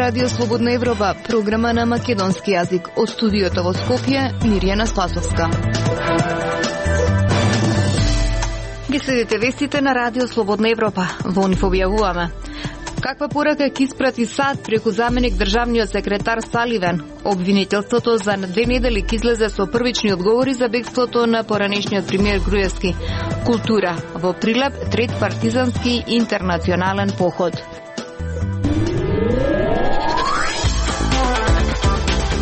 Радио Слободна Европа, програма на македонски јазик. Од студиото во Скопје, Мирјана Спасовска. Ги следите вестите на Радио Слободна Европа. Во нив објавуваме: каква порака ќе испрати САД преку заменик државниот секретар Саливан? Обвинителството за 2 недели ќе излезе со првични одговори за бегството на поранешниот премиер Груевски. Култура во Прилеп, трет партизански интернационален поход.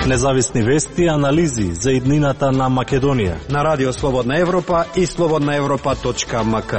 Независни вести и анализи за иднината на Македонија на Радио Слободна Европа и slobodnaevropa.mk.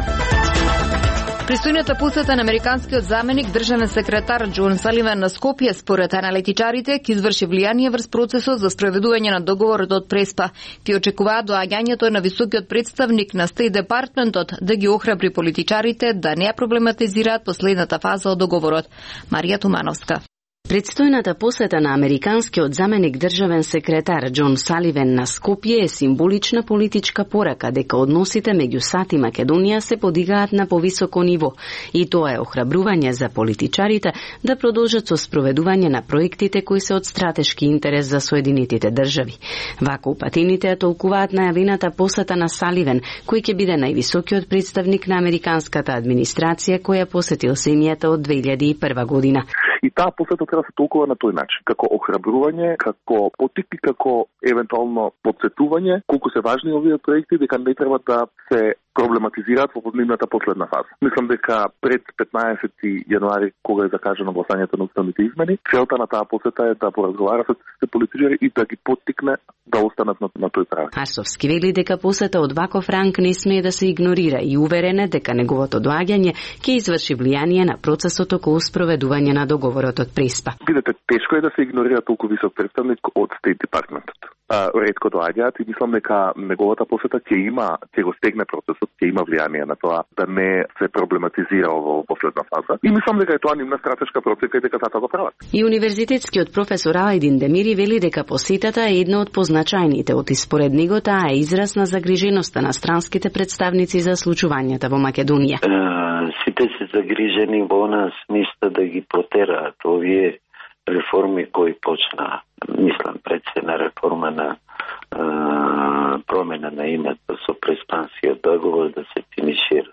Пристојната посета на американскиот заменик државен секретар Џон Саливан на Скопје според аналитичарите ќе изврши влијание врз процесот за спроведување на договорот од Преспа. Ти очекуваат доаѓањето на високиот представник на Стејт Департментот да ги охрабри политичарите да не ја проблематизираат последната фаза од договорот. Марија Тумановска. Предстојната посета на американскиот заменик државен секретар Џон Саливан на Скопје е символична политичка порака дека односите меѓу САД и Македонија се подигаат на повисоко ниво и тоа е охрабрување за политичарите да продолжат со спроведување на проектите кои се од стратешки интерес за Соединетите држави. Вако упатините ја толкуваат најавената посета на Саливан, кој ќе биде највисокиот представник на американската администрација која посетил земјата од 2001 година. И таа посета треба да се толкува на тој начин, како охрабрување, како поттик и како евентуално подсетување колку се важни овие проекти, дека не треба да се проблематизираат во нивната последна фаза. Мислам дека пред 15 јануари, кога е закажано гласањето на уставните измени, целта на таа посета е да поразговара со политичари и да ги поттикне да останат на тој прав. Арсовски вели дека посета од ваков ранг не смее да се игнорира и уверен е дека неговото доаѓање ќе изврши влијание на процесот околу спроведување на договорот од Преспа. Видете, тешко е да се игнорира толку висок представник од Стејт Департментот. Ретко доаѓаат и мислам дека неговата посета ќе го стегне процесот, ќе има влијание на тоа да не се проблематизира во последна фаза. И мислам дека е тоа нивна стратешка процека и дека затоа го прават. И универзитетскиот професор Алајдин Демири вели дека посетата е една од позначајните, и според него таа е израз на загриженоста на странските представници за случувањата во Македонија. Сите се загрижени во нас, мисля да ги протераат овие реформи кои почна, мислам пред се на реформа на промена на името со преспанскиот договор да се финишира.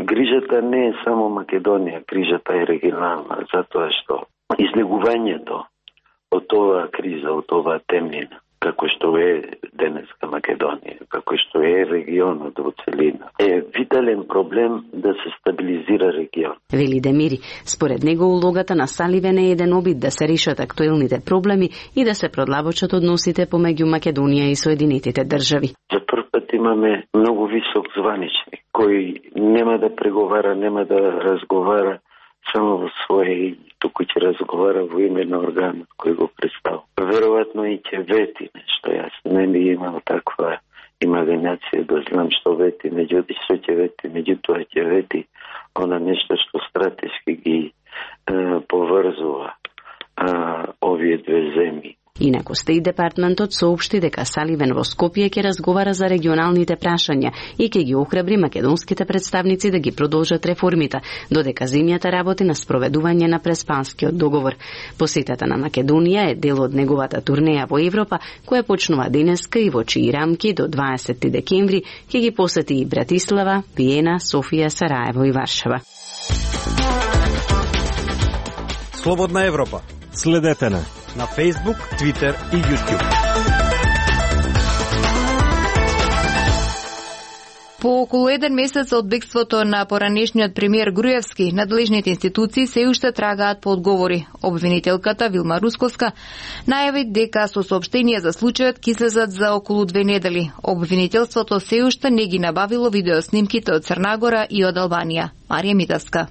Грижата не е само Македонија, грижата е регионална, затоа што излегувањето од оваа криза, од оваа темнина, како што е денеска Македонија, како што е регионот во целина, е витален проблем да се стабилизира регион. Вели Демири, според него улогата на Саливан е еден обид да се решат актуелните проблеми и да се продлабочат односите помеѓу Македонија и Соединетите држави. За прв пат имаме многу висок званичник, кој нема да преговара, нема да разговара само во своје, туку ќе разговара во име на органот кој го представува. Веројатно и ќе вети нешто. Јас не би имал таква имагинација да знам што вети, што ќе вети, меѓутоа ќе вети она нешто што стратешки ги поврзува овие две земји. Инаку Стејт Департментот соопшти дека Саливан во Скопје ќе разговара за регионалните прашања и ќе ги охрабри македонските представници да ги продолжат реформите, додека земјата работи на спроведување на Преспанскиот договор. Посетата на Македонија е дел од неговата турнеја во Европа, која почнува денеска и во чии рамки до 20 декември ќе ги посети и Братислава, Виена, Софија, Сараево и Варшава. Слободна Европа. Следете на Facebook, Twitter и YouTube. По околу 1 месец од бегството на поранешниот премиер Груевски, надлежните институции се уште трагаат по одговори. Обвинителката Вилма Русковска најави дека со соопштение за случајот ќе излезат за околу 2 недели. Обвинителството се уште не ги набавило видеоснимките од Црнагора и од Албанија. Марија Митаска.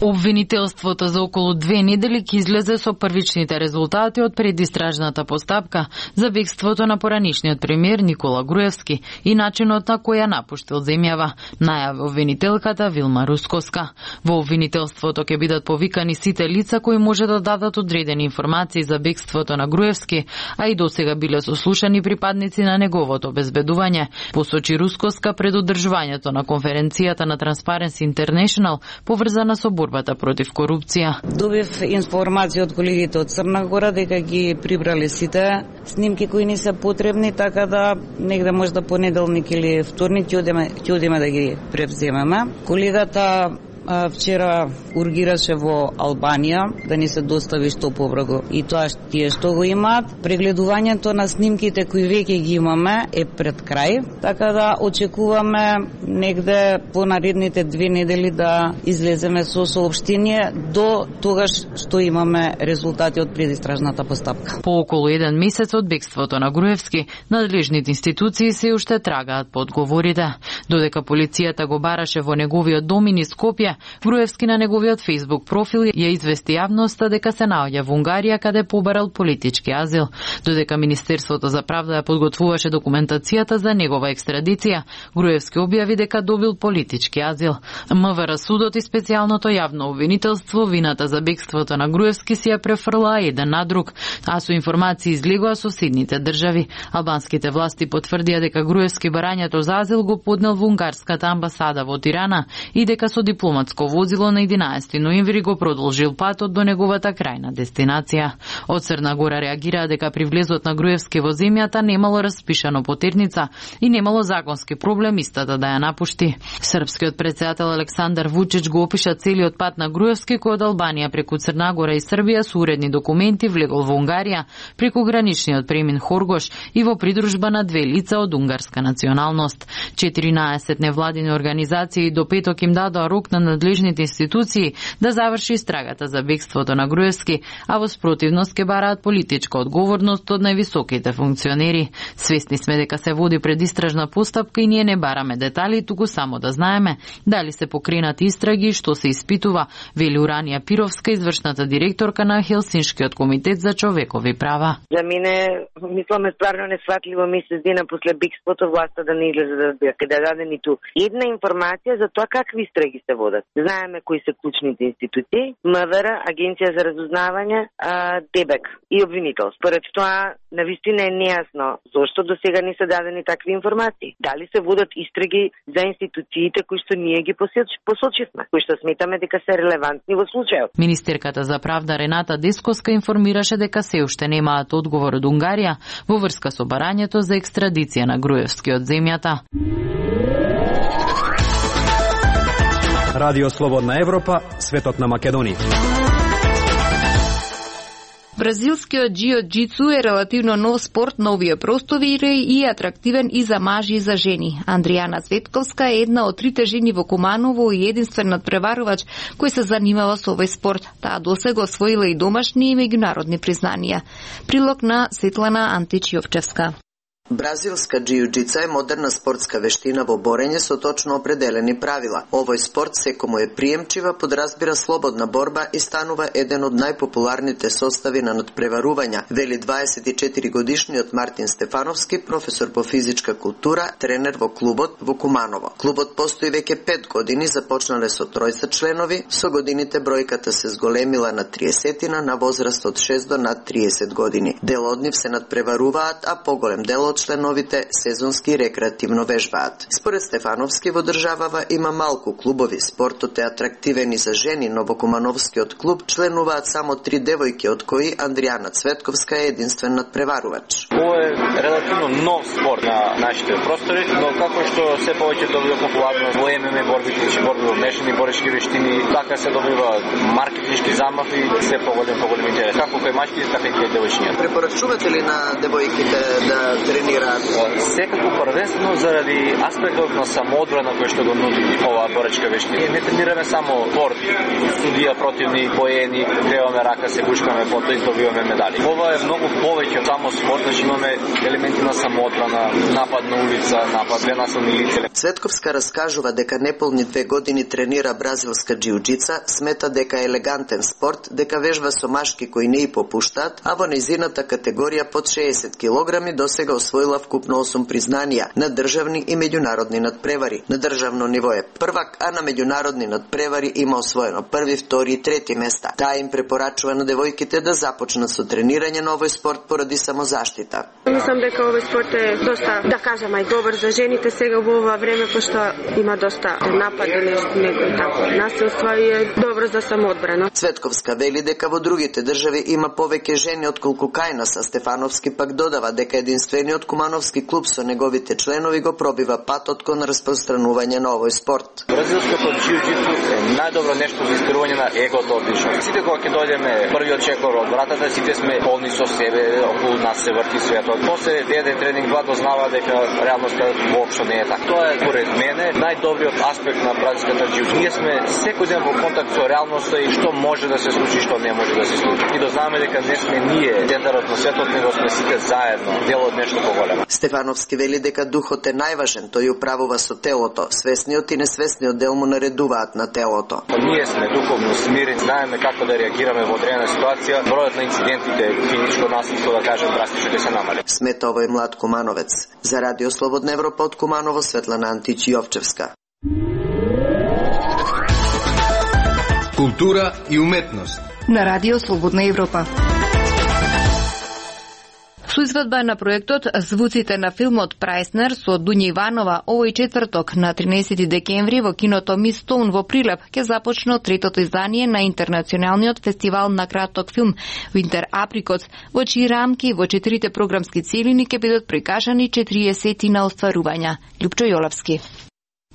Обвинителството за околу 2 недели ќе излезе со првичните резултати од предистражната постапка за бегството на поранешниот премиер Никола Груевски и начинот на кој ја напуштил земјава, најави обвинителката Вилма Русковска. Во обвинителството ќе бидат повикани сите лица кои може да дадат одредени информации за бегството на Груевски, а и досега биле сослушани припадници на неговото обезбедување, посочи Русковска пред одржувањето на конференцијата на Transparency International поврзана со борбата против корупција. Добив информација од колегите од Црна Гора дека ги прибрале сите снимки кои ни се потребни, така да негде можда понеделник или вторник ќе одиме да ги превземеме. Колегата вчера ургираше во Албанија да ни се достави што побрзо и тоа тие што го имаат. Прегледувањето на снимките кои веќе ги имаме е пред крај, така да очекуваме негде по наредните 2 недели да излеземе со соопштение до тогаш што имаме резултати од предистражната постапка. По околу 1 месец од бегството на Груевски, надлежните институции се уште трагаат по одговорите. Додека полицијата го бараше во неговиот дом и Скопје, Груевски на неговиот Facebook профил ја извести јавноста дека се наоѓа во Унгарија каде побарал политички азил. Додека Министерството за правда ја подготвуваше документацијата за негова екстрадиција, Груевски објави дека добил политички азил. МВР судот и специјалното јавно обвинителство вината за бегството на Груевски си ја префрлаа еден на друг, а со информации излегоа соседните држави. Албанските власти потврдија дека Груевски барањето за азил го поднел во унгарската амбасада во Тирана и дека со дипломатско возило на 11 ноември го продолжил патот до неговата крајна дестинација. Од Црна Гора реагираа дека при влезот на Груевски во земјата немало распишано потерница и немало законски проблем истата да ја напушти. Српскиот председател Александар Вучич го опиша целиот пат на Груевски кој од Албанија преку Црна Гора и Србија со уредни документи влегол во Унгарија преку граничниот премин Хоргош и во придружба на 2 лица од унгарска националност. 14 невладини организации до петок им дадоа рок на надлежните институции да заврши истрагата за бегството на Груевски, а во спротивност ке бараат политичка одговорност од највисоките функционери. Свесни сме дека се води предистражна постапка и ние не бараме детали, туку само да знаеме дали се покренати истраги и што се испитува, вели Уранија Пировска, извршната директорка на Хелсиншкиот комитет за човекови права. За мене, мислам, е стварно несватливо месец дена после бегството власта да не излезе да даде ниту една информација за тоа какви истраги се водат. Знаеме кои се клучните институции, МВР, Агенција за разузнавање, ДБЕК и обвинител. Според тоа, навистина е нејасно зошто до сега не се дадени такви информации. Дали се водат истраги за институциите кои што ние ги посочивме, кои што сметаме дека се релевантни во случајот. Министерката за правда Рената Десковска информираше дека се уште немаат одговор од Унгарија во врска со барањето за екстрадиција на Груевски од земјата. Радио Слободна Европа, светот на Македонија. Бразилскиот џиу-џицу е релативно нов спорт на овие простори и атрактивен и за мажи и за жени. Андријана Цветковска е една од 3 жени во Куманово и единствен надпреварувач кој се занимава со овој спорт. Таа досега освоила и домашни и меѓународни признанија. Прилог на Светлана Античиовчевска. Бразилска џиу-џица е модерна спортска вештина во борење со точно определени правила. Овој спорт секому е приемчива, подразбира слободна борба и станува еден од најпопуларните состави на надпреварувања, вели 24 годишниот Мартин Стефановски, професор по физичка култура, тренер во клубот во Куманово. Клубот постои веќе 5 години, започнале со 3 членови, со годините бројката се зголемила на 30 на возраст од 6 до над 30 години. Дел од нив се надпреваруваат, а поголем дел од членовите сезонски и рекреативно вежбаат. Според Стефановски во државава има малку клубови. Спортот е атрактивен и за жени, но во Кумановскиот клуб членуваат само 3 девојки, од кои Андријана Цветковска е единствен надпреварувач. Ова е релативно нов спорт на нашите простори, но како што се повеќе добива популарност во ММА борбите, борби во мешани борички вештини, така се добива маркетиншки замах и се поголем интерес. Како кај мачките, така и кај девојчињата. Препорачувате ли на девојките да тренираат? Секако првенствено заради аспектот на самоодбрана кој што го нуди оваа боречка вештина. Не тренираме само борби, судија, противни, поени, креваме рака, се гушкаме, потоа издобиваме медали. Ова е многу повеќе од само спорт, значи имаме елементи на самоодбрана, напад на улица, напад на насилни лица. Цветковска раскажува дека неполни 2 години тренира бразилска џиу-џица, смета дека е елегантен спорт, дека вежба со машки кои не и попуштаат, а во нејзината категорија под 60 килограми досега освоила совкупно 8 признанија на државни и меѓународни надпревари. На државно ниво е првак, а на меѓународни надпревари има освоено први, втори и трети места. Таа им препорачува на девојките да започнат со тренирање на овој спорт поради самозаштита. Мислам дека овој спорт е доста, да кажам, ај добар за жените сега во ова време, пошто има доста напади, некои тако насилства и е добро за самоодбрана. Цветковска вели дека во другите држави има повеќе жени отколку кај нас, а Стефановски пак додава дека единствениот кумановски клуб со неговите членови го пробива патот кон распространување на овој спорт. Бразилското џиу-џитсу е најдобро нешто за искривање на егото одлично. Сите кога ќе дојдеме првиот чекор од вратата, сите сме полни со себе, околу нас се врти светот. После деде тренинг 2 дознава дека реалноста воопшто не е така. Тоа е поред мене најдобриот аспект на бразилската џиу-џитсу. Ние сме секој ден во контакт со реалноста и што може да се случи, што не може да се случи. И дознаваме дека не сме ние центарот на светот, него сме сите заедно дел од нешто поголемо. Стефановски вели дека духот е најважен, тој управува со телото. Свесниот и несвесниот дел му наредуваат на телото. Ние сме духовно смирени, знаеме како да реагираме во одредена ситуација. Бројот на инцидентите, физичко насилство, да кажем, драстично ќе се намали. Смета овој млад кумановец. За Радио Слободна Европа од Куманово, Светлана Антич Јовчевска. Култура и уметност на Радио Слободна Европа. Со изведба на проектот Звуците на филмот Прајснер со Дуња Иванова овој четврток на 13 декември во киното Мистоун во Прилеп ќе започне третото издание на интернационалниот фестивал на краток филм Winter Apricot, во чии рамки во 4 програмски целини ќе бидат прикажани 40 на остварувања. Лјупчо Јолевски.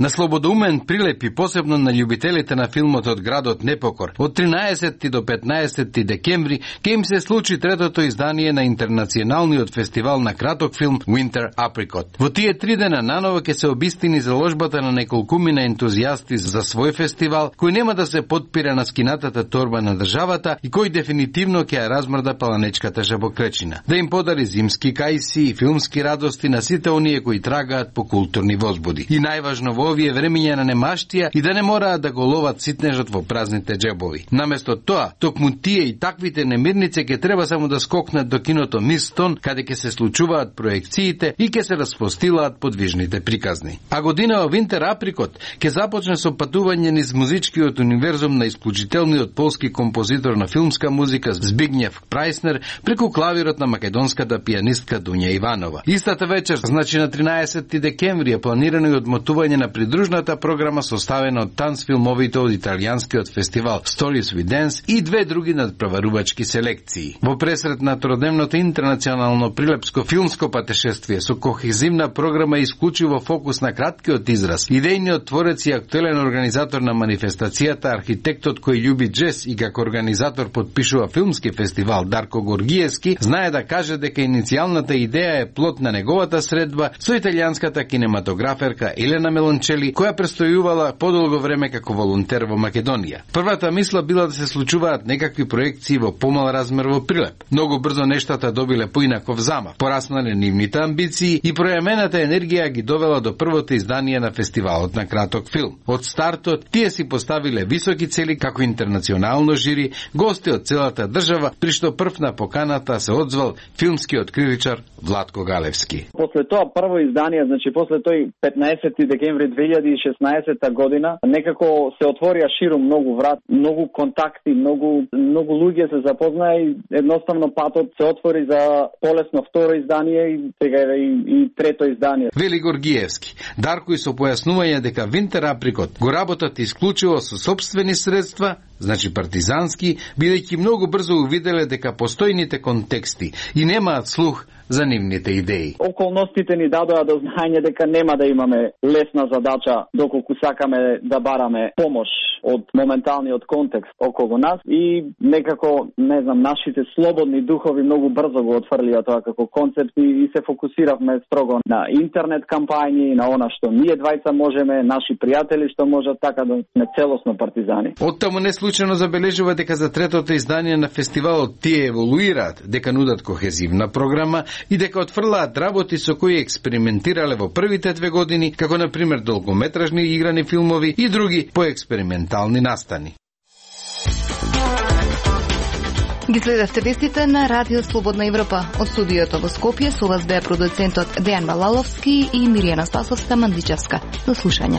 На слободоумен Прилеп и посебно на љубителите на филмот од градот Непокор, од 13 до 15 декември ќе им се случи третото издание на интернационалниот фестивал на краток филм Winter Apricot. Во тие 3 дена наново ќе се обистини заложбата на неколкумина ентузијасти за свој фестивал, кој нема да се подпира на скинатата торба на државата и кој дефинитивно ќе ја размрда паланечката жабокречина. Да им подари зимски кајси и филмски радости на сите оние кои трагаат по културни возбуди. И најважно во овие времења на немаштија и да не мораат да го ловат ситнежот во празните џебови. Наместо тоа, токму тие и таквите немирници ќе треба само да скокнат до киното Мистон, каде ќе се случуваат проекциите и ќе се распостилаат подвижните приказни. А година Winter Apricot ќе започне со патување низ музичкиот универзум на исклучителниот полски композитор на филмска музика Збигњев Прајснер преку клавирот на македонската пијанистка Дуња Иванова. Истата вечер, значи на 13 декември, е планирано и одмотување на придружната програма составена од танцфилмовите од италијанскиот фестивал Stories We Dance и 2 други надпреварувачки селекции. Во пресред на тродневното интернационално прилепско филмско патешествие со кохезивна програма и исклучиво фокус на краткиот израз, идејниот творец и актуелен организатор на манифестацијата, архитектот кој љуби джез и како организатор подпишува филмски фестивал Дарко Горгиевски, знае да каже дека иницијалната идеја е плод на неговата средба со италијанската кинематограферка Елена Мелончели, која престојувала подолго време како волонтер во Македонија. Првата мисла била да се случуваат некакви проекции во помал размер во Прилеп. Многу брзо нештата добиле поинаков замав, пораснале нивните амбиции и пројамената енергија ги довела до првото издание на фестивалот на краток филм. Од стартот тие си поставиле високи цели како интернационално жири, гости од целата држава, при што прв на поканата се одзвал филмскиот критичар Владко Галевски. После тоа прво издание, значи после тој 15 декември 2016 година, некако се отворија ширум многу врат, многу контакти, многу луѓе се запознаа и едноставно патот се отвори за полесно второ издание и сега и трето издание. Вели Горгиевски. Дарко и со појаснување дека Winter Apricot го работат исклучиво со сопствени средства, значи партизански, бидејќи многу брзо увиделе дека постојните контексти и немаат слух за нивните идеи. Околностите ни дадоа до знаење дека нема да имаме лесна задача доколку сакаме да бараме помош од моменталниот контекст околу нас и некако, не знам, нашите слободни духови многу брзо го отфрлија тоа како концепт и се фокусиравме строго на интернет кампањи, на она што ние двајца можеме, наши пријатели што можат, така да сме целосно партизани. Оттаму не случајно забележува дека за третото издание на фестивалот тие еволуираат, дека нудат кохезивна програма и дека отфрлаат работи со кои експериментирале во првите 2 години, како на пример долгометражни играни филмови и други поекспериментални настани. Ги следевте вестите на Радио Слободна Европа. Од студиото во Скопје со вас беа продуцентот Дејан Балаловски и Миријана Спасовска Мандичевска. До слушање.